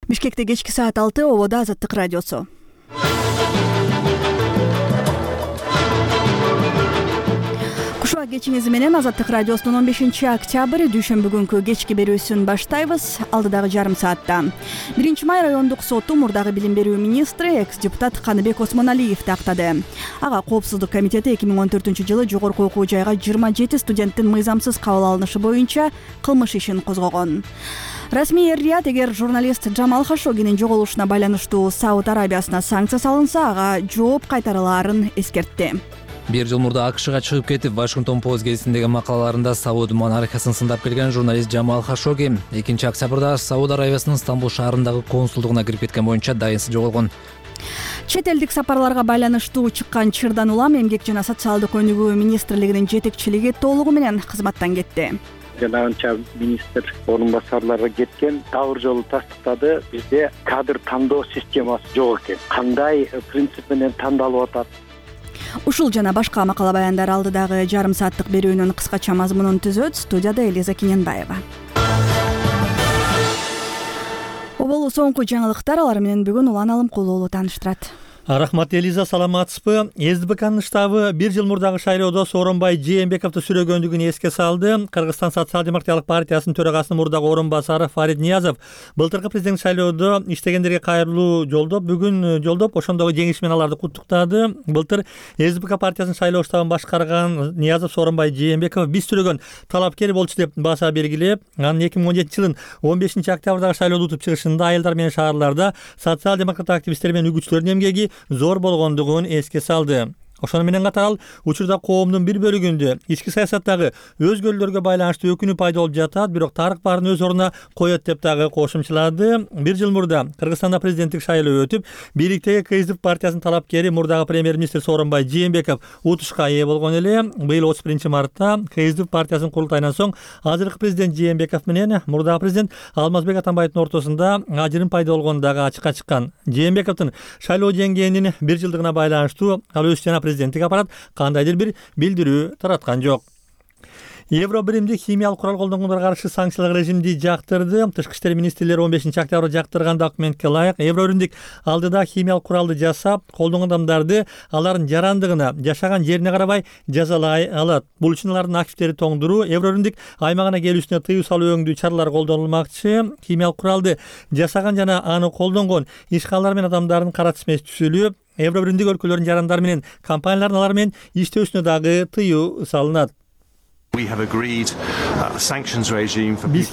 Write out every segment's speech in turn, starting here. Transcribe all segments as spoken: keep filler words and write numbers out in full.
Бишкекте кечки саат алты, ободо Азаттык радиосу. Кушуа кечиңиз менен Азаттык радиосунун он бешинчи октябрь дүйшөмбү күнкү кечки берүүсүн баштайбыз. Алдыдагы жарым саатта биринчи май райондук соту мурдагы билим берүү министри экс-депутат Каныбек Осмоналиевди актады. Ага Коопсуздук комитети эки миң он төртүнчү жылы жогорку окуу жайга жыйырма жети студенттин мыйзамсыз кабыл алынышы боюнча кылмыш ишин козгогон. Расмий эр-Рият эгер журналист Жамал Хашогинин жоголушуна байланыштуу Сауд Арабиясына санкция салынса, ага жооп кайтарылаарын эскертти. Бир жыл мурда АКШга чыгып кетип, Вашингтон Пост гезитиндеги макалаларында Сауд монархиясын сындап келген журналист Жамал Хашоги экинчи октябрда Сауд Арабиясынын Стамбул шаарындагы консулдугуна кирип кеткен боюнча дайынсыз жоголгон. Чет элдик сапарларга байланыштуу чыккан чырдан улам Эмгек жана социалдык өнүгүү министрлигинин жетекчилиги толугу менен кызматтан кетти. Жанагынча министр орун басарлары кеткен, дагы жолу тастыктады. Бизде кадр тандоо системасы жок экен. Кандай принцип менен тандалып атат? Ушул жана башка макала баяндар алдыдагы жарым сааттык берүүнүн кыскача мазмунун түзөт. Студияда Элиза Киненбаева. Оболу соңку жаңылыктар, алар менен бүгүн Улан Алымкулуу тааныштырат. Рахмат, Элиза, саламатсызбы? СДПКнын штабы бир жыл мурдагы шайлоодо Сооронбай Жээнбековду сүрөгөндүгүн эске салды. Кыргызстан социал-демократиялык партиясынын төрагасынын мурдагы орун басары Фарид Ниязов былтыркы президент шайлоодо иштегендерге кайрылуу жолдоп, бүгүн жолдоп, ошондогу жеңиш менен аларды куттуктады. Былтыр СДПК партиясынын шайлоо штабын башкарган Ниязов Сооронбай Жээнбеков биз сүрөгөн талапкер болчу деп баса белгилеп, анын эки миң он жетинчи жылдын он бешинчи октябрдагы шайлоодо утуп чыгышында аялдар менен шаарларда социал-демократ активисттер менен үгүтчүлөрдүн эмгеги зор болгондугун эске салды. Ошону менен катар ал учурда коомдун бир бөлүгүндө ички саясаттагы өзгөрүүлөргө байланыштуу өкүнүү пайда болуп жатат, бирок тарых баарын өз ордуна коет деп дагы кошумчалады. Бир жыл мурда Кыргызстанда президенттик шайлоо өтүп, бийликтеги КСДП партиясынын талапкери мурдагы премьер-министр Сооронбай Жээнбеков утушка ээ болгон эле. Быйыл отуз биринчи мартта КСДП партиясынын курултайынан соң азыркы президент Жээнбеков менен мурдагы президент Алмазбек Атамбаевдин ортосунда ажырым пайда болгону дагы ачыкка чыккан. Жээнбековдун шайлоо жеңгенинин бир жылдыгына байланыштуу ал өз жана президенттик аппарат кандайдыр бир билдирүү тараткан жок. Евро биримдик химиялык курал колдонгондорго каршы санкциялык режимди жактырды. Тышкы иштер министрлери он бешинчи октябрда жактырган документке ылайык Евро биримдик алдыда химиялык куралды жасап, колдонгон адамдарды алардын жарандыгына, жашаган жерине карабай жазалай алат. Бул үчүн алардын активдери тоңдуруу, Евро биримдик аймагына келүүсүнө тыюу салуу өңдүү чаралар колдонулмакчы. Химиялык куралды жасаган жана аны колдонгон ишканалар менен адамдардын кара тизмеси түзүлүп, Евро биримдик өлкөлөрдүн жарандары менен компаниялардын алар менен иштөөсүнө дагы тыюу салынат. Биз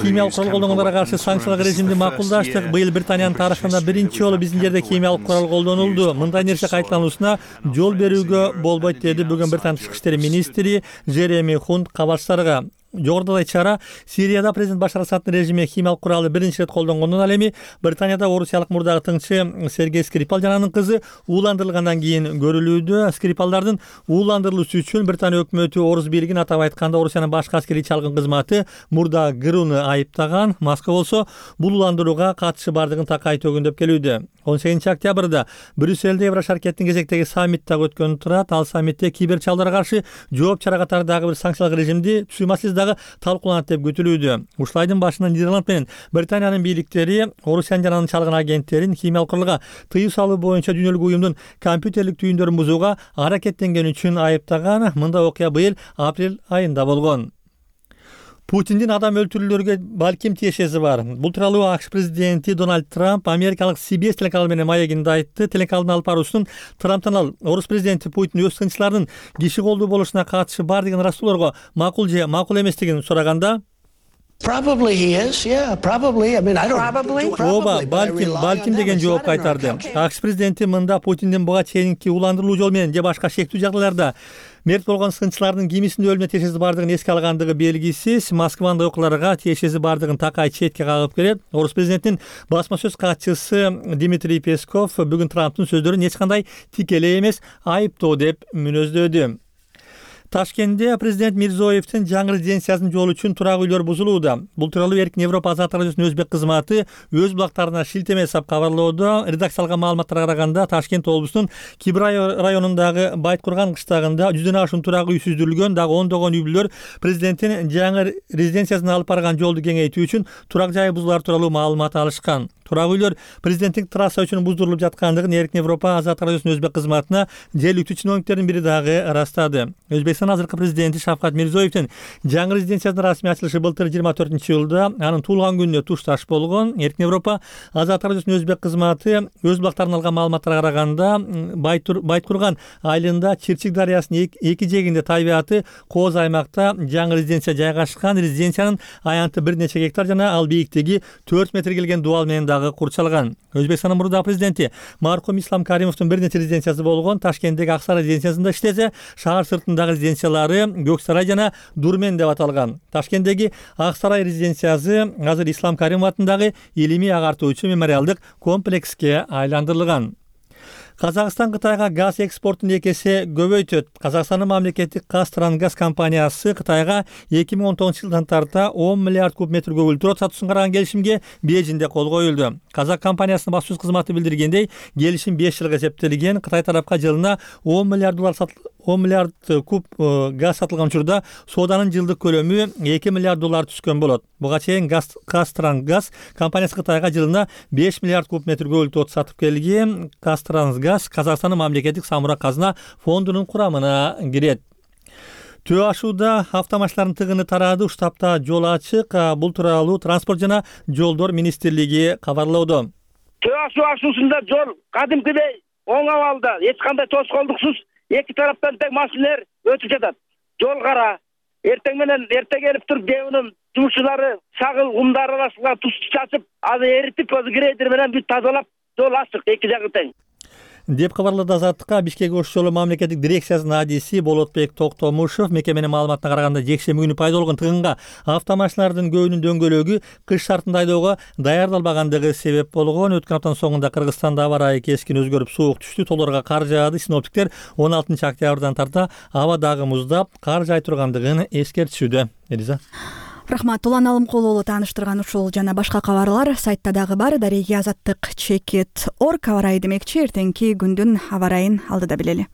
химиялык курал колдонгондорго каршы санкциялык режимди макулдаштык. Быйыл Британиянын тарыхында биринчи жолу биздин жерде химиялык курал колдонулду. Мындай нерсе кайталануусуна жол берүүгө болбойт, деди бүгүн Британ тышкы иштер министри Жереми Хунт кабарчыларга. Жогорудагы чара Сирияда президент Башар Асаддын режими химиялык куралды биринчи ирет колдонгондон ал эми Британияда орусиялык мурдагы тыңчы Сергей Скрипал жана анын кызы ууландырылгандан кийин көрүлүүдө. Скрипалдардын ууландырылуусу үчүн Британия өкмөтү Орус бийлигин, атап айтканда Орусиянын башкы аскерий чалгын кызматы мурда ГРУну айыптаган. Москва болсо бул ууландырууга катышы бардыгын такай төгүндөп келүүдө. он сегизинчи октябрда Брюссельде Евро шаркеттин кезектеги саммит дагы өткөн турат. Ал саммитте кибер чалдарга каршы жооп чара катары дагы бир санкциялык режимди түзүү маселеси дагы талкууланат деп күтүлүүдө. Ушул айдын башында Нидерланд менен Британиянын бийликтери Орусиянын жана анын чалгын агенттерин химиялык куралга тыюу салуу боюнча дүйнөлүк уюмдун компьютерлик түйүндөрүн бузууга аракеттенгени үчүн айыптаган. Мындай окуя быйыл апрель айында болгон. Путиндин адам өлтүрүүлөргө балким тиешеси бар. Бул тууралуу АКШ президенти Дональд Трамп америкалык Си Би Эс телеканалы менен маегинде айтты. Телеканалдын алып баруусунун Трамптан ал орус президенти Путин өз тынччылардын киши колдуу болушуна катышы бар деген ыраазуулоорго макул же макул эместигин сураганда, Probably he is, yeah, probably. I mean, I don't... Probably? Ооба, балким, балким деген жооп кайтарды. АКШ президенти мында Путиндин буга чейинки уландырылуу жол менен же башка шектүү жагдайларда мерт болгон сынчылардын кимисинин өлүмүнө тиешеси бардыгын эске алгандыгы белгисиз. Москванын окууларга тиешеси бардыгын такай четке кагып келет. Орус президентинин басма сөз катчысы Дмитрий Песков бүгүн Трамптын сөздөрүн эч кандай тикелей эмес, айыптоо деп мүнөздөдү. Ташкентте президент Мирзоевдин жаңы резиденциясынын жолу үчүн турак үйлөр бузулууда. Бул тууралуу Эркин Европа азаттык радиосунун өзбек кызматы өз булактарына шилтеме жасап кабарлоодо. Редакциялык маалыматтарга караганда Ташкент облусунун Кибрай районундагы Байткурган кыштагында жүздөн ашуун турак үй сүздүрүлгөн. Дагы ондогон үй бүлөлөр президенттин жаңы резиденциясына алып барган жолду кеңейтүү үчүн турак жайы бузулар тууралуу маалымат алышкан. турак үйлөр президенттик трасса үчүн буздурулуп жаткандыгын Эркин Европа Азаттык радиосунун өзбек кызматына жергиликтүү чиновниктердин бири дагы ырастады. Өзбекстан азыркы президенти Шавкат Мирзиёевдин жаңы резиденциясынын расмий ачылышы былтыр жыйырма төртүнчү июлда анын туулган күнүнө тушташ болгон. Эркин Европа Азаттык радиосунун өзбек кызматы өз булактарынан алган маалыматтарга караганда Байткурган айылында Чирчик дарыясынын эки жээгинде табигаты кооз аймакта жаңы резиденция жайгашкан. Резиденциянын аянты бир нече гектар жана ал бийиктиги төрт метр келген дубал менен дагы курчалган. Өзбекстандын мурдагы президенти мархум Ислам Каримовдун бир нече резиденциясы болгон. Ташкенттеги Ак Сарай резиденциясында иштесе, шаар сыртындагы резиденциялары Көк Сарай жана Дурмен деп аталган. Ташкенттеги Ак Сарай резиденциясы азыр Ислам Каримов атындагы илимий агартуучу мемориалдык комплекске айландырылган. Казакстан Кытайга газ экспортун эки эсе көбөйтөт. Казакстандын мамлекеттик Казтрангаз компаниясы Кытайга эки миң он тогузунчу жылдан тарта он миллиард куб метр көгүлдүрөт сатуусун караган келишимге Бейжиңде кол коюлду. Казак компаниясынын баспасөз кызматы билдиргендей, келишим беш жылга эсептелген. Кытай тарапка жылына он миллиард доллар он миллиард куб газ сатылган учурда сооданын жылдык көлөмү эки миллиард доллар түскөн болот. Буга чейин Казтрангаз компаниясы Кытайга жылына беш миллиард куб метр көгүлдүрөт сатып келген. Казтрангаз Казакстандын мамлекеттик самурак казына фондунун курамына кирет. Төө ашууда автомашиналардын тыгыны тарады. Штабта жол ачык. Бул тууралуу Транспорт жана жолдор министрлиги кабарлоодо. Төө ашуу ашуусунда жол кадимкидей оң абалда, эч кандай тоскоолдуксуз эки тараптан тең машиналар өтүп жатат. Жол кара. Эртең менен эрте келип туруп ДЭОнун жумушчулары сагыл кумдар арасына туз чачып, аны эритип, грейдер менен бүт тазалап, жол ачык эки жагы тең деп кабарлады Азаттыкка Бишкек ош жолу мамлекеттик дирекциясынын адиси Болотбек Токтомушев. Мекеменин маалыматына караганда жекшемби күнү пайда болгон тыгынга автомашиналардын көбүнүн дөңгөлөгү кыш шартында айдоого даярдалбагандыгы себеп болгон. Өткөн аптанын соңунда Кыргызстанда аба ырайы кескин өзгөрүп суук түштү. Тоолорго кар жаады. Синоптиктер он алтынчы октябрдан тарта аба дагы муздап, кар жай тургандыгын эскертишүүдө. Элиза. Рахмат. Улан Алымкулуулу тааныштырган ушул жана башка кабарлар сайтта дагы бар. Дареги Азаттык чекит орг аба ырайы демекчи. Эртеңки күндүн аба ырайын алдыда билели.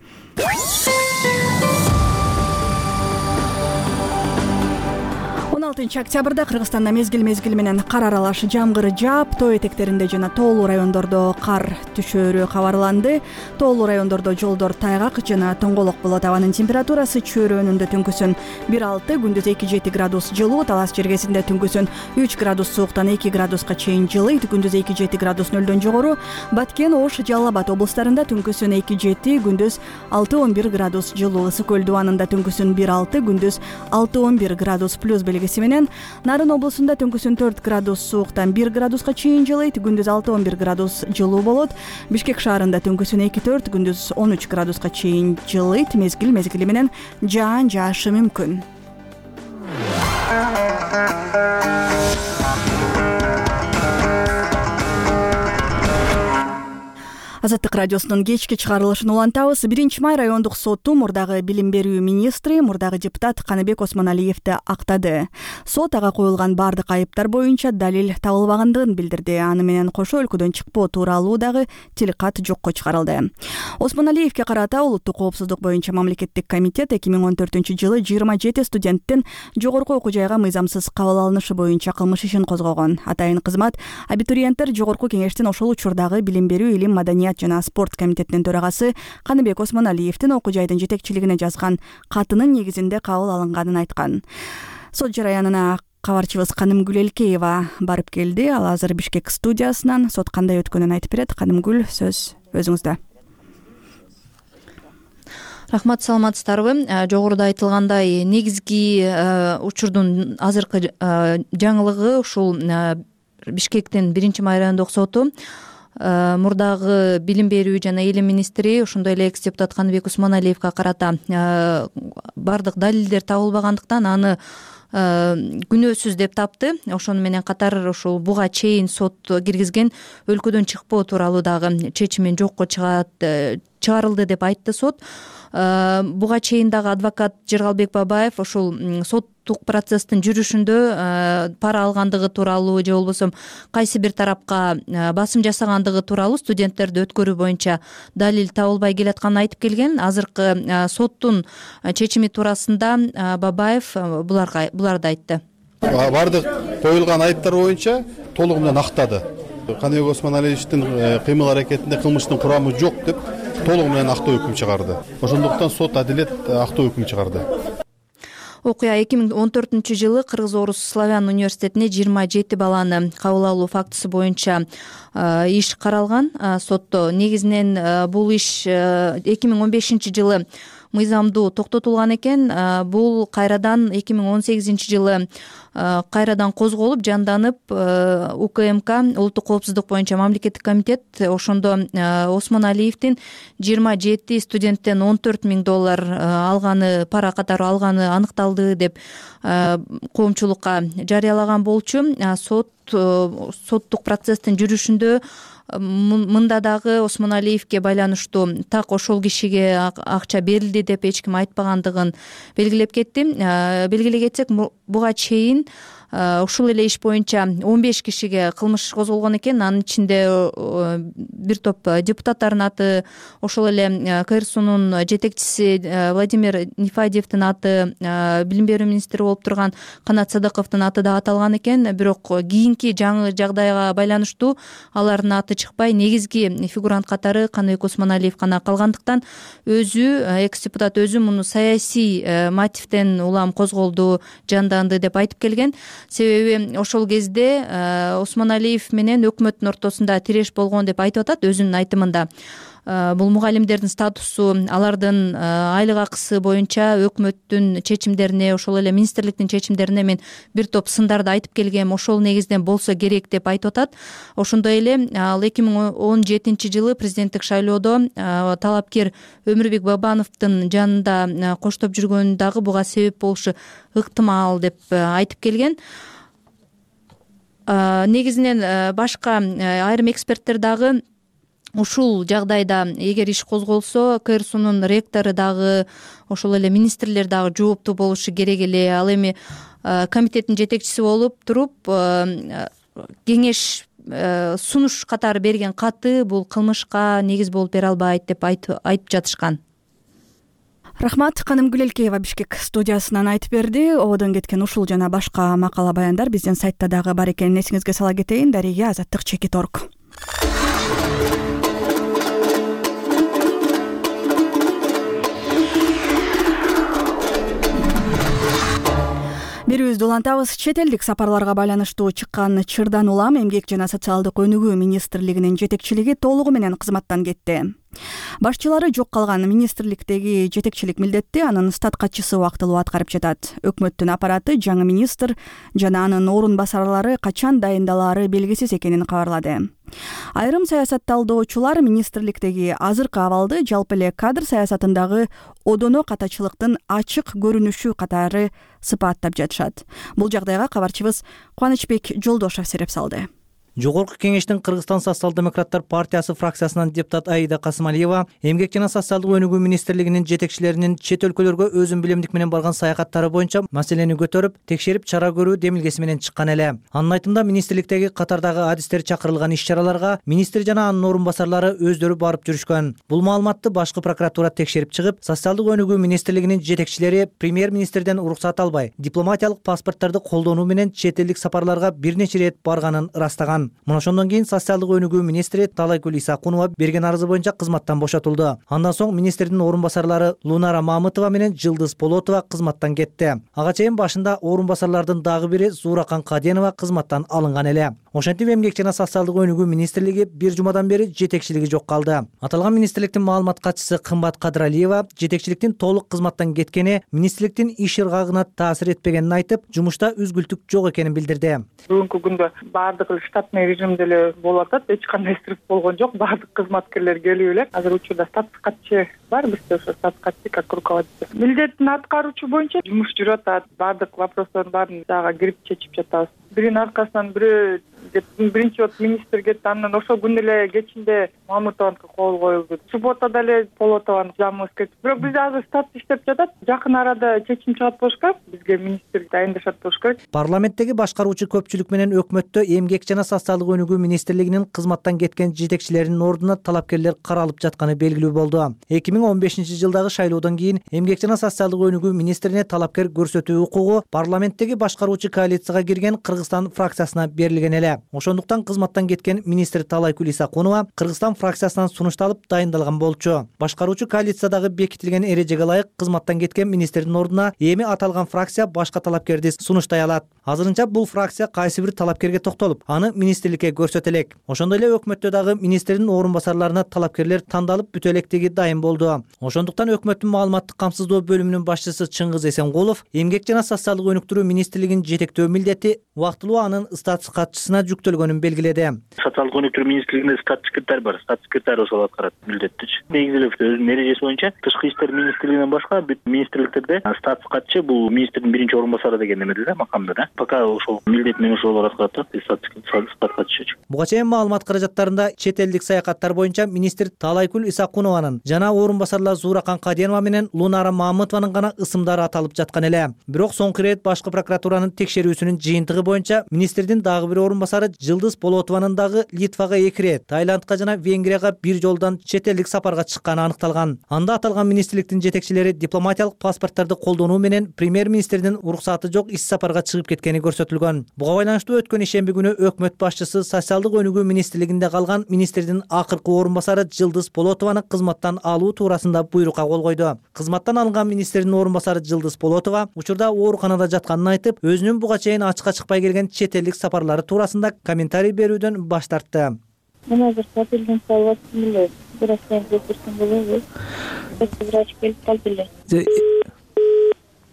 он алтынчы октябрда Кыргызстанда мезгил мезгил менен кар аралаш жамгыр жаап, тоо этектеринде жана тоолуу райондордо кар түшөөрү кабарланды. Тоолуу райондордо жолдор тайгак жана тоңголок болот. Абанын температурасы чөйрөнүндө түнкүсүн бир алты, күндүз эки жети градус жылуу, Талас жергесинде түнкүсүн үч градус сууктан эки градуска чейин жылыйт, күндүз эки жети градус нөлдөн жогору. Баткен, Ош, Жалал Абад облустарында түнкүсүн эки жети, күндүз алты он бир градус жылуу. Ысык көл дубанында түнкүсүн бир алты, күндүз алты он бир градус плюс белгиси менен. Нарын облусунда түнкүсүн төрт градус сууктан бир градуска чейин жылыйт, күндүз алты он бир градус жылуу болот. Бишкек шаарында түнкүсүн эки төрт, күндүз он үч градуска чейин жылыйт, мезгил мезгили менен жаан жаашы мүмкүн. Азаттык радиосунун кечки чыгарылышын улантабыз. биринчи май райондук соту мурдагы билим берүү министри, мурдагы депутат Каныбек Осмоналиевди актады. Сот ага коюлган бардык айыптар боюнча далил табылбагандыгын билдирди. Аны менен кошо өлкөдөн чыкпоо тууралуу дагы тилкат жокко чыгарылды. Осмоналиевге карата улуттук коопсуздук боюнча мамлекеттик комитет эки миң он төртүнчү жылы жыйырма жети студенттин жогорку окуу жайга мыйзамсыз кабыл алынышы боюнча кылмыш ишин козгогон. Атайын кызмат абитуриенттер жогорку кеңештин ошол учурдагы билим берүү, илим, маданият жана спорт комитетинин төрагасы Каныбек Осмоналиевдин окуу жайдын жетекчилигине жазган катынын негизинде кабыл алынганын айткан. Сот жараянына кабарчыбыз Канымгүл Элкеева барып келди. Ал азыр Бишкек студиясынан сот кандай өткөнүн айтып берет. Канымгүл, сөз өзүңүздө. Рахмат, саламатсыздарбы? Жогоруда айтылгандай, негизги учурдун азыркы жаңылыгы ушул Бишкектин биринчи май райондук соту мурдагы билим берүү жана илим министри, ошондой эле экс депутат Каныбек Осмоналиевге карата бардык далилдер табылбагандыктан аны күнөөсүз деп тапты. Ошону менен катар ушул буга чейин сот киргизген өлкөдөн чыкпоо тууралуу дагы чечимин жокко чыгарылды деп айтты сот. Буга чейин дагы адвокат Жыргалбек Бабаев ушул соттук процесстин жүрүшүндө пара алгандыгы тууралуу же болбосо кайсы бир тарапка басым жасагандыгы тууралуу студенттерди өткөрүү боюнча далил табылбай келатканын айтып келген. Азыркы соттун чечими туурасында Бабаев буларга буларды айтты. Бардык коюлган айыптар боюнча толугу менен актады. Каныбек Осмоналиевичтин кыймыл аракетинде кылмыштын курамы жок деп толугу менен актоо өкүм чыгарды. Ошондуктан сот адилет актоо өкүм чыгарды. Окуя эки миң он төртүнчү жылы Кыргыз Орус Славян университетине жыйырма жети баланы кабыл алуу фактысы боюнча иш каралган сотто. Негизинен бул иш эки миң он бешинчи жылы мыйзамдуу токтотулган экен. Бул кайрадан эки миң он сегизинчи жылы кайрадан козголуп, жанданып, УКМК Улуттук коопсуздук боюнча мамлекеттик комитет ошондо Осмоналиевдин жыйырма жети студенттен он төрт миң доллар алганы, пара катары алганы аныкталды деп коомчулукка жарыялаган болчу. Сот соттук процесстин жүрүшүндө мында дагы Осмоналиевге байланыштуу так ошол кишиге акча берилди деп эч ким айтпагандыгын белгилеп кетти. Белгилей кетсек, буга чейин ушул эле иш боюнча он беш кишиге кылмыш козголгон экен. Анын ичинде бир топ депутаттардын аты, ошол эле КРСУнун жетекчиси Владимир Нефадиевдин аты, билим берүү министри болуп турган Канат Садыковдун аты да аталган экен. Бирок кийинки жаңы жагдайга байланыштуу алардын аты чыкпай, негизги фигурант катары Каныбек Осмоналиев гана калгандыктан өзү, экс-депутат өзү муну саясий мотивден улам козголду, жанданды деп айтып келген. Себеби ошол кезде Осмоналиев менен өкмөттүн ортосунда тиреш болгон деп айтып атат өзүнүн айтымында. Бул мугалимдердин статусу, алардын айлык акысы боюнча өкмөттүн чечимдерине, ошол эле министрликтин чечимдерине мен бир топ сындарды айтып келгем, ошол негизден болсо керек деп айтып атат. Ошондой эле ал эки миң он жетинчи жылы президенттик шайлоодо талапкер Өмүрбек Бабановдун жанында коштоп жүргөнү дагы буга себеп болушу ыктымал деп айтып келген. Негизинен башка айрым эксперттер дагы ушул жагдайда эгер иш козголсо, КРСУнун ректору дагы, ошол эле министрлер дагы жооптуу болушу керек эле. Ал эми комитеттин жетекчиси болуп туруп кеңеш сунуш катары берген каты бул кылмышка негиз болуп бере албайт деп айтып жатышкан. Рахмат. Канымгүл Элкеева Бишкек студиясынан айтып берди. Ободон кеткен ушул жана башка макала баяндар биздин сайтта дагы бар экенин эсиңизге сала кетейин. Дария Азаттык чекит орг. Берүүбүздү улантабыз. Чет элдик сапарларга байланыштуу чыккан чырдан улам Эмгек жана социалдык өнүгүү министрлигинин жетекчилиги толугу менен кызматтан кетти. Башчылары жок калган министрликтеги жетекчилик милдетти анын стат катчысы убактылуу аткарып жатат. Өкмөттүн аппараты жаңы министр жана анын орун басарлары качан дайындалаары белгисиз экенин кабарлады. Айрым саясатталдоочулар министрликтеги азыркы абалды жалпы эле кадр саясатындагы одоно катачылыктын ачык көрүнүшү катары сыпаттап жатышат. Бул жагдайга кабарчыбыз Кубанычбек Жолдошов сереп салды. Жогорку кеңештин Кыргызстан социал-демократтар партиясы фракциясынан депутат Аида Касымалиева Эмгек жана социалдык өнүгүү министрлигинин жетекчилеринин чет өлкөлөргө өзүн билимдик менен барган саякаттары боюнча маселени көтөрүп, текшерип чара көрүү демилгеси менен чыккан эле. Анын айтымында министрликтеги катардагы адистер чакырылган иш-чараларга министр жана анын орун басарлары өздөрү барып жүрүшкөн. Бул маалыматты башкы прокуратура текшерип чыгып, социалдык өнүгүү министрлигинин жетекчилери премьер-министрден уруксат албай, дипломатиялык паспорттарды колдонуу менен чет элдик сапарларга бир нече ирет барганын ырастаган. Мына ошондон кийин социалдык өнүгүү министри Талайгүл Исакунова берген арызы боюнча кызматтан бошотулду. Андан соң министрдин орун басарлары Лунара Мамытова менен Жылдыз Полотова кызматтан кетти. Ага чейин башында орун басарлардын дагы бири Зууракан Каденова кызматтан алынган эле. Ошентип Эмгек жана социалдык өнүгүү министрлиги бир жумадан бери жетекчилиги жок калды. Аталган министрликтин маалымат катчысы Кымбат Кадыралиева жетекчиликтин толук кызматтан кеткени министрликтин иш ыргагына таасир этпегенин айтып, жумушта үзгүлтүк жок экенин билдирди. Бүгүнкү күндө баардыгы штатный режимде эле болуп атат, эч кандай стресс болгон жок, баардык кызматкерлер келип элек. Азыр учурда статус катчы бар, бизде ошо статус катчы как руководитель. Милдетин аткаруучу боюнча жумуш жүрүп атат. Баардык вопростордун баарын дагы кирип чечип жатабыз. Биринин аркасынан бири биринчи вот министр кетти, анан ошол күнү эле кечинде Мамытованыкы кол коюлду. Субботада эле Полотованын жамыбыз кетти. Бирок бизде азыр статус иштеп жатат. Жакын арада чечим чыгат болуш керек. Бизге министр дайындашат болуш керек. Парламенттеги башкаруучу көпчүлүк менен өкмөттө Эмгек жана социалдык өнүгүү министрлигинин кызматтан кеткен жетекчилеринин ордуна талапкерлер каралып жатканы белгилүү болду. эки миң он бешинчи жылдагы шайлоодон кийин Эмгек жана социалдык өнүгүү министрине талапкер көрсөтүү укугу парламенттеги башкаруучу коалицияга кирген Кыргызстан Кыргызстан фракциясына берилген эле. Ошондуктан кызматтан кеткен министр Таалайкүл Исакунова Кыргызстан фракциясынан сунушталып дайындалган болчу. Башкаруучу коалициядагы бекитилген эрежеге ылайык кызматтан кеткен министрдин ордуна эми аталган фракция башка талапкерди сунуштай алат. Азырынча бул фракция кайсы бир талапкерге токтолуп, аны министрликке көрсөтө элек. Ошондой эле өкмөттө дагы министрдин орун басарларына талапкерлер тандалып бүтө электиги дайын болду. Ошондуктан өкмөттүн маалыматтык камсыздоо бөлүмүнүн башчысы Чыңгыз Эсенгулов эмгек жана социалдык өнүктүрүү министрлигин жетектөө милдети убактылуу анын статус катчысына жүктөлгөнүн белгиледи. Социалдык өнүктүрүү министрлигинде статус секретарь бар. Статус секретарь ошол аткарат милдеттичи. Негизилеп өзүнүн эрежеси боюнча тышкы иштер министрлигинен башка бүт министрликтерде статус катчы бул министрдин биринчи орун басары деген эмеде да, макамда да. Пока ошол милдет менен ошолор аткарат да, статус катчы. Буга чейин маалымат каражаттарында чет элдик саякаттар боюнча министр Таалайкүл Исакунованын жана орун басарлар Зууракан Каденова менен Лунара Мамытованын гана ысымдары аталып жаткан эле. Бирок соңку ирет башкы прокуратуранын текшерүүсүнүн жыйынтыгы боюнча министрдин дагы бир орун басары Жылдыз Болотованын дагы Литвага эки ирет, Таиландка жана Венгрияга бир жолдон чет элдик сапарга чыкканы аныкталган. Анда аталган министрликтин жетекчилери дипломатиялык паспорттарды колдонуу менен премьер-министрдин уруксаты жок ис сапарга чыгып кеткени көрсөтүлгөн. Буга байланыштуу өткөн ишемби күнү өкмөт башчысы социалдык өнүгүү министрлигинде калган министрдин акыркы орун басары Жылдыз Болотованы кызматтан алуу туурасында буйрукка кол койду. Кызматтан алынган министрдин орун басары Жылдыз Болотова учурда ооруканада жатканын айтып, өзүнүн буга чейин ачыкка чыкпай келген чет элдик сапарлары туурасында комментарий берүүдөн баш тартты. Мен азыр сапелден салып эле, бирок мен көрсөтсөм болобу? Врач келип калды эле.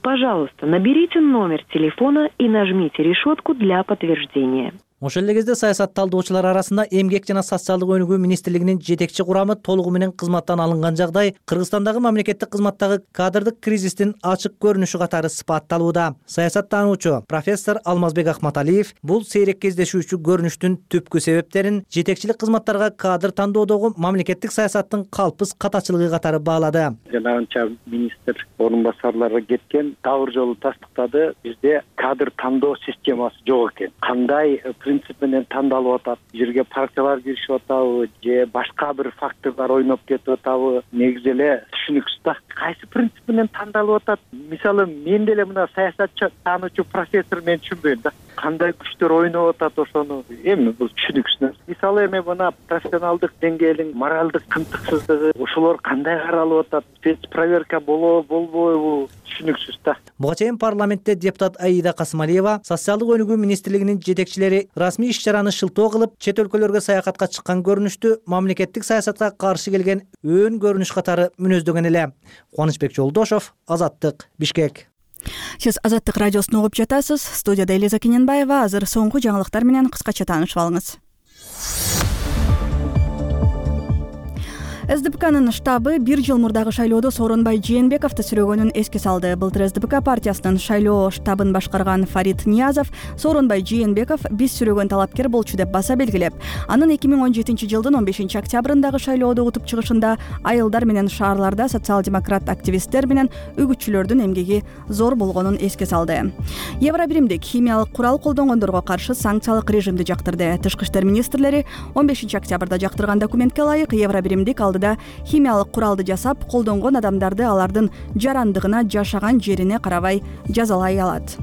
Пожалуйста, наберите номер телефона и нажмите решетку для подтверждения. Ошол эле кезде саясат талдоочулар арасында эмгек жана социалдык өнүгүү министрлигинин жетекчи курамы толугу менен кызматтан алынган жагдай Кыргызстандагы мамлекеттик кызматтагы кадрдык кризистин ачык көрүнүшү катары сыпатталууда. Саясаттануучу профессор Алмазбек Акматалиев бул сейрек кездешүүчү көрүнүштүн түпкү себептерин жетекчилик кызматтарга кадр тандоодогу мамлекеттик саясаттын калпыс катачылыгы катары баалады. Жанагынча министр орун басарлары кеткен тавыр жолу тастыктады. Бизде кадр тандоо системасы жок экен. Кандай принцип менен тандалып атат, жерге партиялар киришип атабы же башка бир факторлор ойноп кетип атабы, негизи эле түшүнүксүз да. Кайсы принцип менен тандалып атат? Мисалы, мен деле мына саясатчы таануучу профессор мен түшүнбөйм да. Кандай күчтөр ойноп атат ошону? Эми бул түшүнүксүз. Мисалы, эми мына профессионалдык деңгээлин, моралдык кымтыксыздыгы, ошолор кандай каралып атат? Спецпроверка болобу, болбойбу? Түшүнүксүз да. Буга чейин парламентте депутат Аида Касымалиева социалдык өнүгүү министрлигинин жетекчилери расмий иш-чараны шылтоо кылып, чет өлкөлөргө саякатка чыккан көрүнүштү мамлекеттик саясатка каршы келген өөн көрүнүш катары мүнөздөгөн эле. Кубанычбек Жолдошов, Азаттык, Бишкек. Сиз Азаттык радиосун угуп жатасыз. Студияда Элиза Кененбаева. Азыр соңку жаңылыктар менен кыскача таанышып алыңыз. эс дэ пэ канын штабы бир жыл мурдагы шайлоодо Сооронбай Жээнбековду сүрөгөнүн эске салды. Былтыр эс дэ пэ ка партиясынын шайлоо штабын башкарган Фарид Ниязов Сооронбай Жээнбеков биз сүрөгөн талапкер болчу деп баса белгилеп, анын эки миң он жетинчи жылдын он бешинчи октябрындагы шайлоодо утуп чыгышында айылдар менен шаарларда социал-демократ активисттер менен үгүтчүлөрдүн эмгеги зор болгонун эске салды. Евробиримдик химиялык курал колдонгондорго каршы санкциялык режимди жактырды. Тышкы иштер министрлери он бешинчи октябрда жактырган документке ылайык Евробиримдик алдыда химиялык куралды жасап колдонгон адамдарды алардын жарандыгына, жашаган жерине карабай жазалай алат.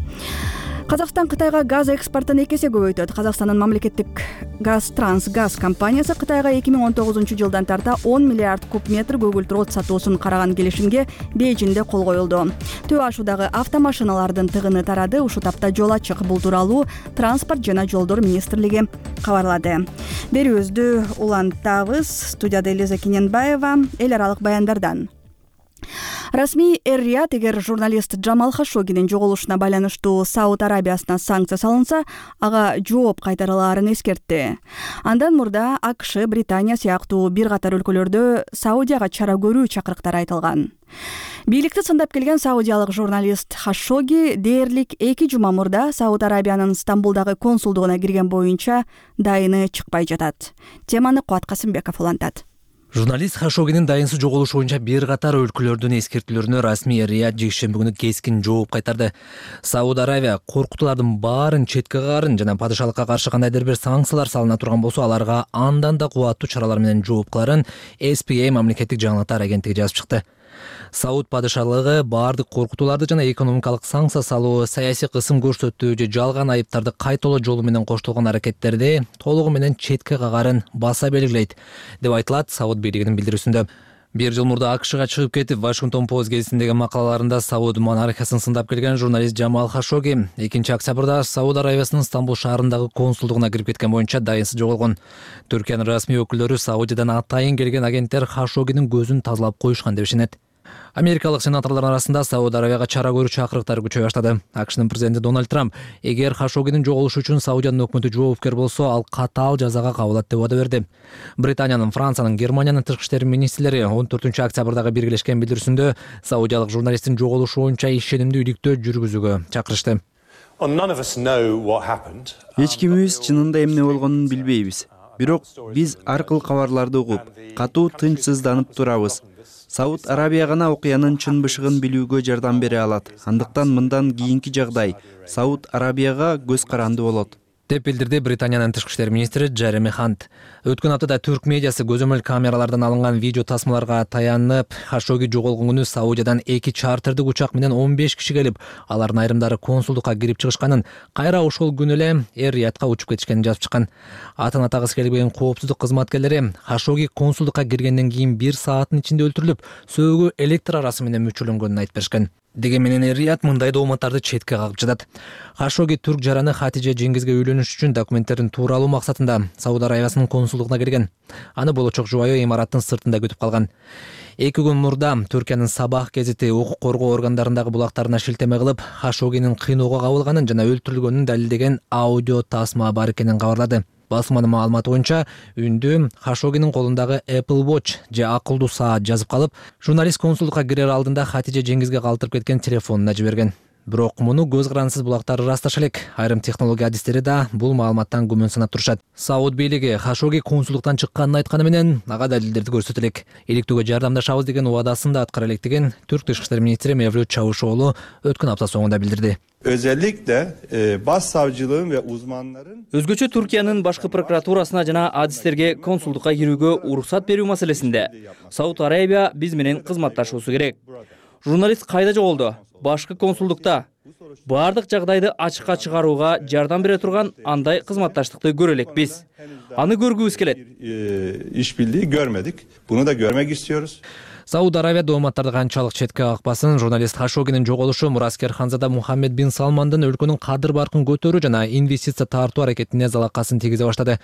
Казакстан Кытайга газ экспортун эки эсе көбөйтөт. Казакстандын мамлекеттик Газ-Транс-Газ компаниясы Кытайга эки миң он тогузунчу жылдан тарта он миллиард куб метр көгүлтүр от сатуусун караган келишимге Бейжиңде кол коюлду. Төө ашуудагы автомашиналардын тыгыны тарады. Ушул тапта жол ачык. Бул тууралуу Транспорт жана жолдор министрлиги кабарлады. Берүүбүздү улантабыз. Студияда Элиза Кененбаева. Эл аралык баяндардан. Расмий эр-Рият эгер журналист Джамал Хашогинин жоголушуна байланыштуу Сауд Арабиясына санкция салынса, ага жооп кайтарылаарын эскертти. Андан мурда а ка ш, Британия сыяктуу бир катар өлкөлөрдө Саудияга чара көрүү чакырыктары айтылган. Бийликти сындап келген саудиялык журналист Хашоги дээрлик эки жума мурда Сауд Арабиянын Стамбулдагы консулдугуна кирген боюнча дайыны чыкпай жатат. Теманы Кубат Касымбеков улантат. Журналист Хашогинин дайынсыз жоголушу боюнча бир катар өлкөлөрдүн эскертүүлөрүнө расмий эр-Рият жекшемби күнү кескин жооп кайтарды. Сауд Арабия коркутуулардын баарын четке кагарын жана падышалыкка каршы кандайдыр бир санкциялар салына турган болсо, аларга андан да кубаттуу чаралар менен жооп кыларын эс пи а мамлекеттик жаңылыктар агенттиги жазып чыкты. Сауд падышалыгы баардык коркутууларды жана экономикалык санкция салуу, саясий кысым көрсөтүү же жалган айыптарды кайталоо жолу менен коштолгон аракеттерди толугу менен четке кагарын баса белгилейт, деп айтылат Сауд бийлигинин билдирүүсүндө. Бир жыл мурда АКШга чыгып кетип, Вашингтон Пост гезитиндеги макалаларында Сауд монархиясын сындап келген журналист Жамал Хашоги экинчи октябрда Сауд Аравиясынын Стамбул шаарындагы консулдугуна кирип кеткен боюнча дайынсыз жоголгон. Түркиянын расмий өкүлдөрү Саудиядан атайын келген агенттер Хашогинин көзүн тазалап коюшкан деп ишенет. Америкалык сенаторлор арасында Сауд Аравияга чара көрүү чакырыктары күчөй баштады. АКШнын президенти Дональд Трамп эгер Хашогинин жоголушу үчүн Саудиянын өкмөтү жоопкер болсо, ал катаал жазага кабылат деп убада берди. Британиянын, Франциянын, Германиянын тышкы иштер министрлери он төртүнчү октябрдагы биргелешкен билдирүүсүндө Саудиялык журналисттин жоголушу боюнча ишенимдүү иликтөө жүргүзүүгө чакырышты. Эч кимибиз чынында эмне болгонун билбейбиз. Бирок биз ар кыл кабарларды угуп, катуу тынчсызданып турабыз. Сауд Арабия гана окуянын чын бышыгын билүүгө жардам бере алат. Андыктан мындан кийинки жагдай Сауд Арабияга көз каранды болот, деп билдирди Британиянын тышкы иштер министри Джереми Хант. Өткөн аптада түрк медиасы көзөмөл камералардан алынган видео тасмаларга таянып, Хашоги жоголгон күнү Саудиядан эки чартердик учак менен он беш киши келип, алардын айрымдары консулдукка кирип чыгышканын, кайра ошол күнү эле Эр-Риядка учуп кетишкенин жазып чыккан. Атын атагысы келбеген коопсуздук кызматкерлери Хашоги консулдукка киргенден кийин бир сааттын ичинде өлтүрүлүп, сөөгү электр арасы менен мүчүрөнгөнүн айтып беришкен. Дегенменен Эр-Рияд мындай дооматтарды четке кагып жатат. Хашоги түрк жараны Хатиже Жеңгизге үйлөнүш үчүн документтерин тууралуу максатында Сауд Аравиясынын консулдугуна келген. Аны болочок жубайы имараттын сыртында күтүп калган. Эки күн мурда Түркиянын Сабах гезити укук коргоо органдарындагы булактарына шилтеме кылып, Хашогинин кыйноого кабылганын жана өлтүрүлгөнүн далилдеген аудио тасма бар экенин кабарлады. Басманын маалыматы боюнча үндү Хашогинин колундагы Apple Watch же акылдуу саат жазып калып, журналист консулдукка кирер алдында Хатиже Жеңгизге калтырып кеткен телефонуна жиберген. Бирок муну көз карансыз булактар ырасташа элек. Айрым технология адистери да бул маалыматтан күмөн санап турушат. Сауд бийлиги Хашоги консулдуктан чыкканын айтканы менен ага далилдерди көрсөтө элек. Иликтөөгө жардамдашабыз деген убадасын да аткара электигин түрк тышкы иштер министри Мевлют Чавушоğlu өткөн апта соңунда билдирди. Özellikle e, başsavcılığın ve uzmanların Өзгөчө Түркиянын башкы прокуратурасына жана адистерге консулдукка кирүүгө уруксат берүү маселесинде Сауд Арабия биз менен кызматташуусу керек. Журналист кайда жоголду? Башкы консулдукта. Бардык жагдайды ачыкка чыгарууга жардам бере турган андай кызматташтыкты көрө элекпиз. Аны көргүбүз келет. İşbirliği görmedik. Bunu da görmek istiyoruz. Сауд Аравия дооматтарды канчалык четке какпасын, журналист Хашогинин жоголушу мураскер ханзада Мухаммед бин Салмандын өлкөнүн кадыр баркын көтөрүү жана инвестиция тартуу аракетине залакасын тийгизе баштады.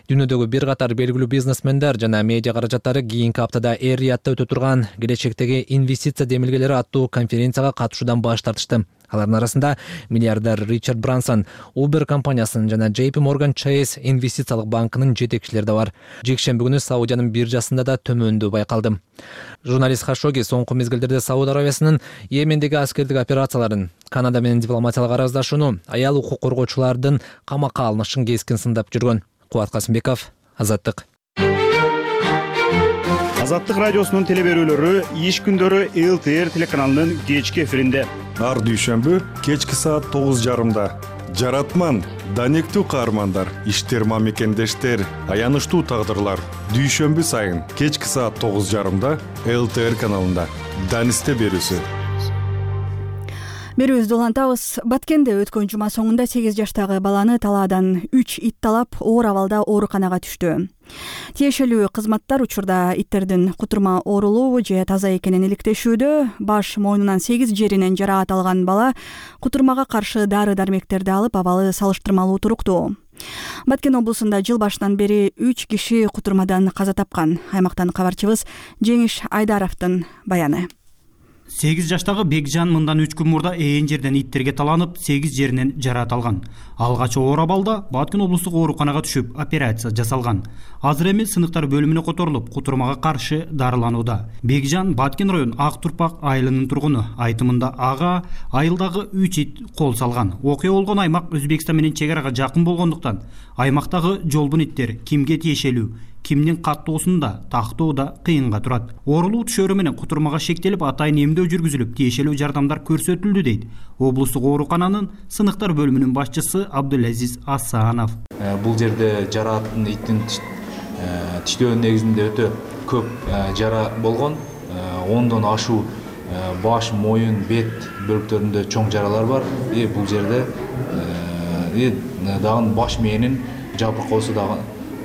Дүйнөдөгү бир катар белгилүү бизнесмендер жана медиа каражаттары кийинки аптада Эр-Риядта өтө турган келечектеги инвестиция демилгелери аттуу конференцияга катышуудан баш тартышты. Алардын арасында миллиардер Ричард Брансон, Uber компаниясынын жана Джей Пи Морган Чейз инвестициялык банкынын жетекчилери да бар. Жекшемби күнү Саудиянын биржасында да төмөндөө байкалды. Журналист Хашоги соңку мезгилдерде Сауд Аравиясынын Йемендеги аскердик операцияларын, Канада менен дипломатиялык араздашууну, аял укук коргоочулардын камакка алынышын кескин сындап жүргөн. Кубат Касымбеков, Азаттык. Азаттык радиосунун телеберүүлөрү иш күндөрү Эл Ти Эр телеканалынын кечки эфиринде. Ар дүйшөмбү кечки саат тогуз жарымда. Жаратман, данектүү каармандар, иштерма мекендештер, аянычтуу тагдырлар. Дүйшөмбү сайын кечки саат тогуз жарымда Эл Ти Эр каналында. Данисте берүүсү. Берүүбүздү улантабыз. Баткенде өткөн жума соңунда сегиз жаштагы баланы талаадан үч ит талап оор абалда ооруканага түштү. Тиешелүү кызматтар учурда иттердин кутурма оорулуу же таза экенин иликтешүүдө. Баш мойнунан сегиз жеринен жараат алган бала кутурмага каршы дары-дармектерди алып, абалы салыштырмалуу туруктуу. Баткен облусунда жыл башынан бери үч киши кутурмадан каза тапкан. Аймактан кабарчыбыз Жеңиш Айдаровдун баяны. сегиз жаштагы Бекжан мындан үч күн мурда ээн жерден иттерге таланып, сегиз жеринен жараат алган. Алгач оор абалда Баткен облустук ооруканага түшүп, операция жасалган. Азыр эми сыныктар бөлүмүнө которулуп, кутурмага каршы дарыланууда. Бекжан Баткен район Ак Турпак айылынын тургуну. Айтымында ага айылдагы үч ит кол салган. Окуя болгон аймак Өзбекстан менен чек арага жакын болгондуктан аймактагы жолбун иттер кимге тиешелүү, кимдин каттоосунда тактоодо кыйынга турат. Оорулуу түшөрү менен кутурмага шектелип, атайын эмдөө жүргүзүлүп, тиешелүү жардамдар көрсөтүлдү дейт облустук оорукананын сыныктар бөлүмүнүн башчысы Абдулазиз Асанов. Бул жерде жарааттын иттин тиштөө негизинде өтө көп жара болгон. ондон ашуу баш, моюн, бет бөлүктөрүндө чоң жаралар бар. И бул жерде и дагы баш мээнин жабыркоосу дагы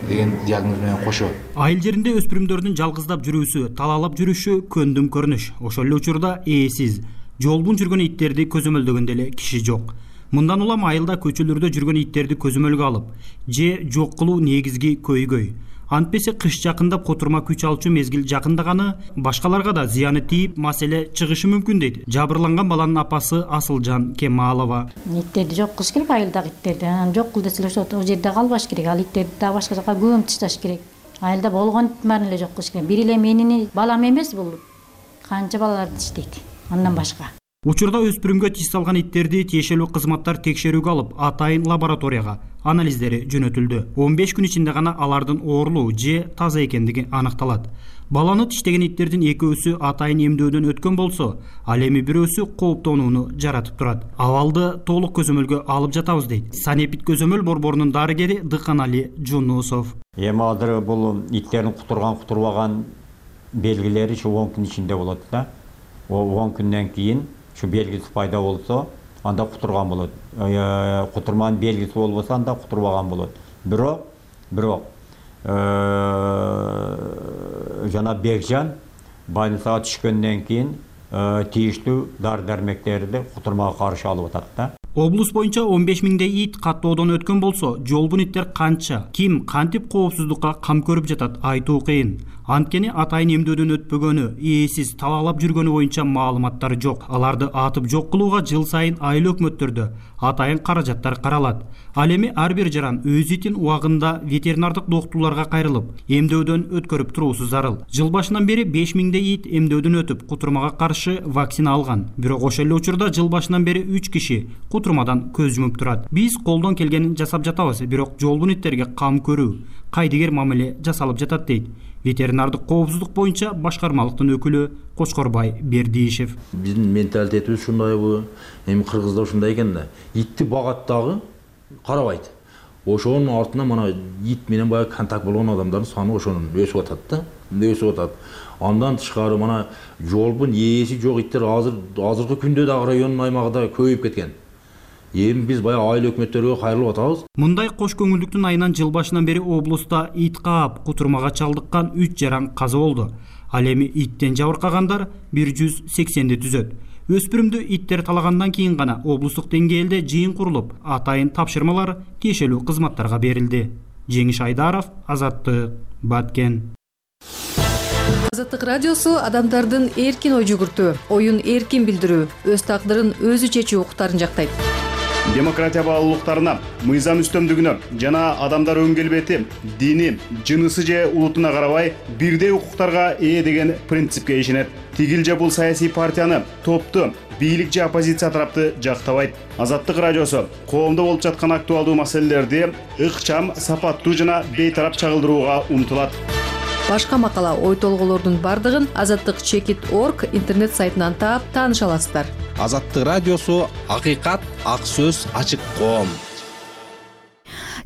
деген диагноз менен кошо. Айыл жеринде өспүрүмдөрдүн жалгыздап жүрүүсү, талаалап жүрүшү көндүм көрүнүш. Ошол эле учурда ээсиз, жолбун жүргөн иттерди көзөмөлдөгөн деле киши жок. Мындан улам айылда көчөлөрдө жүргөн иттерди көзөмөлгө алып, же жок кылуу негизги көйгөй. Антпесе кыш жакындап котурма күч алчу мезгил жакындаганы башкаларга да зыяны тийип, маселе чыгышы мүмкүн дейт жабырланган баланын апасы Асылжан Кемалова. Иттерди жок кылыш керек, айылдагы иттерди. Анан жок кыл десе ошол жерде калбаш керек. Ал иттерди да башка жака көмүп ташташ керек. Айылда болгон ит баарын эле жок кылыш керек. Бир эле менин балам эмес бул. Канча балаларды иштейт. Андан башка. Учурда өспүрүмгө тиш салган иттерди тиешелүү кызматтар текшерүүгө алып, атайын лабораторияга анализдери жөнөтүлдү. он беш күн ичинде гана алардын оорулуу же таза экендиги аныкталат. Баланы тиштеген иттердин экөөсү атайын эмдөөдөн өткөн болсо, ал эми бирөөсү кооптонууну жаратып турат. Абалды толук көзөмөлгө алып жатабыз дейт санепит көзөмөл борборунун дарыгери Дыканали Жунусов. Эми азыр бул иттердин кутурган кутурбаган белгилери ушу он күн ичинде болот да. он күндөн кийин şu belgisi пайда болсо, анда кутурган болот. Кутурманын белгиси болбосо, анда кутурбаган болот. Бирок, бирок жана Бекжан больницага түшкөндөн кийин тийиштүү дары-дармектерди кутурмага каршы алып атат да. Облус боюнча он беш миңдей ит каттоодон өткөн болсо, жолбун иттер канча, ким кантип коопсуздукка кам көрүп жатат айтуу кыйын. Анткени атайын эмдөөдөн өтпөгөнү, ээсиз талаалап жүргөнү боюнча маалыматтар жок. Аларды атып жок кылууга жыл сайын айыл өкмөттөрдө атайын каражаттар каралат. Ал эми ар бир жаран өз итин убагында ветеринардык доктурларга кайрылып, эмдөөдөн өткөрүп туруусу зарыл. Жыл башынан бери беш миңдей ит эмдөөдөн өтүп, кутурмага каршы вакцина алган. Бирок ошол эле учурда жыл башынан бери үч киши кутурмадан көз жумуп турат. Биз колдон келгенин жасап жатабыз, бирок жолбун иттерге кам көрүү, кайдыгер мамиле жасалып жатат дейт ветеринардык коопсуздук боюнча башкармалыктын өкүлү Кочкорбай Бердиишев. Биздин менталитетибиз ушундайбы, эми кыргызда ушундай экен да. Итти багат дагы карабайт. Ошонун артынан мана ит менен баягы контакт болгон адамдардын саны ошонун өсүп атат да. Өсүп атат. Андан тышкары мана жолбун ээси жок иттер азыр азыркы күндө дагы райондун аймагында көбөйүп кеткен. Эми биз баягы айыл өкмөттөргө кайрылып атабыз. Мындай кош көңүлдүктүн айынан жыл башынан бери облуста ит каап, кутурмага чалдыккан үч жаран каза болду. Ал эми иттен жабыркагандар бир жүз сексенди түзөт. Өспүрүмдү иттер талагандан кийин гана облустук деңгээлде жыйын курулуп, атайын тапшырмалар тиешелүү кызматтарга берилди. Жеңиш Айдаров, Азаттык, Баткен. Азаттык радиосу адамдардын эркин ой жүгүртүү, оюн эркин билдирүү, өз тагдырын өзү чечүү укуктарын жактайт. Демократия баалуулуктарына, мыйзам үстөмдүгүнө жана адамдар өң келбети, дини, жынысы же улутуна карабай бирдей укуктарга ээ деген принципке ишенет. Тигил же бул саясий партияны, топту, бийлик же оппозиция тарапты жактабайт. Азаттык радиосу коомдо болуп жаткан актуалдуу маселелерди ыкчам, сапаттуу жана бейтарап чагылдырууга умтулат. Башка макала, ой толгоолордун бардыгын азаттык чекит точка орг интернет сайтынан таап тааныша аласыздар. Азаттык радиосу акыйкат, ак сөз, ачык коом.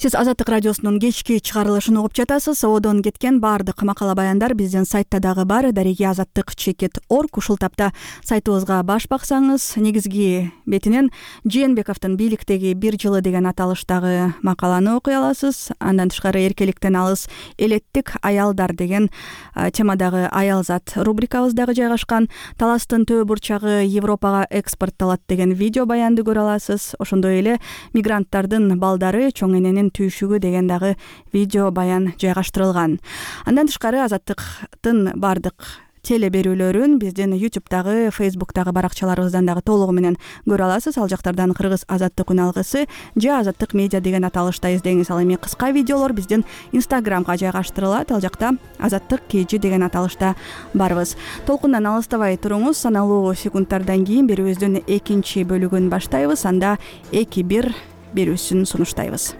Сиз Азаттык радиосунун кечки чыгарылышын угуп жатасыз. Одон кеткен баардык макала баяндар биздин сайтта дагы бар. Дареги азаттык чекит точка орг. Ушул тапта сайтыбызга баш баксаңыз, негизги бетинен Жээнбековдун бийликтеги бир жылы деген аталыштагы макаланы окуй аласыз. Андан тышкары эркеликтен алыс элеттик аялдар деген темадагы аялзат рубрикабыз дагы жайгашкан. Таластын төө бурчагы Европага экспортталат деген видео баянды көрө аласыз. Ошондой эле мигранттардын балдары чоң эненин түйшүгү деген дагы видео баян жайгаштырылган. Андан тышкары Азаттыктын бардык теле берүүлөрүн биздин ютубтагы, фейсбуктагы баракчаларыбыздан дагы толугу менен көрө аласыз. Ал жактардан Кыргыз азаттык үн алгысы же Азаттык медиа деген аталышта издеңиз. Ал эми кыска видеолор биздин инстаграмга жайгаштырылат. Ал жакта Азаттык kg деген аталышта барбыз. Толкундан алыстабай туруңуз. Саналуу секундтардан кийин берүүбүздүн экинчи бөлүгүн баштайбыз. Анда эки бир берүүсүн сунуштайбыз.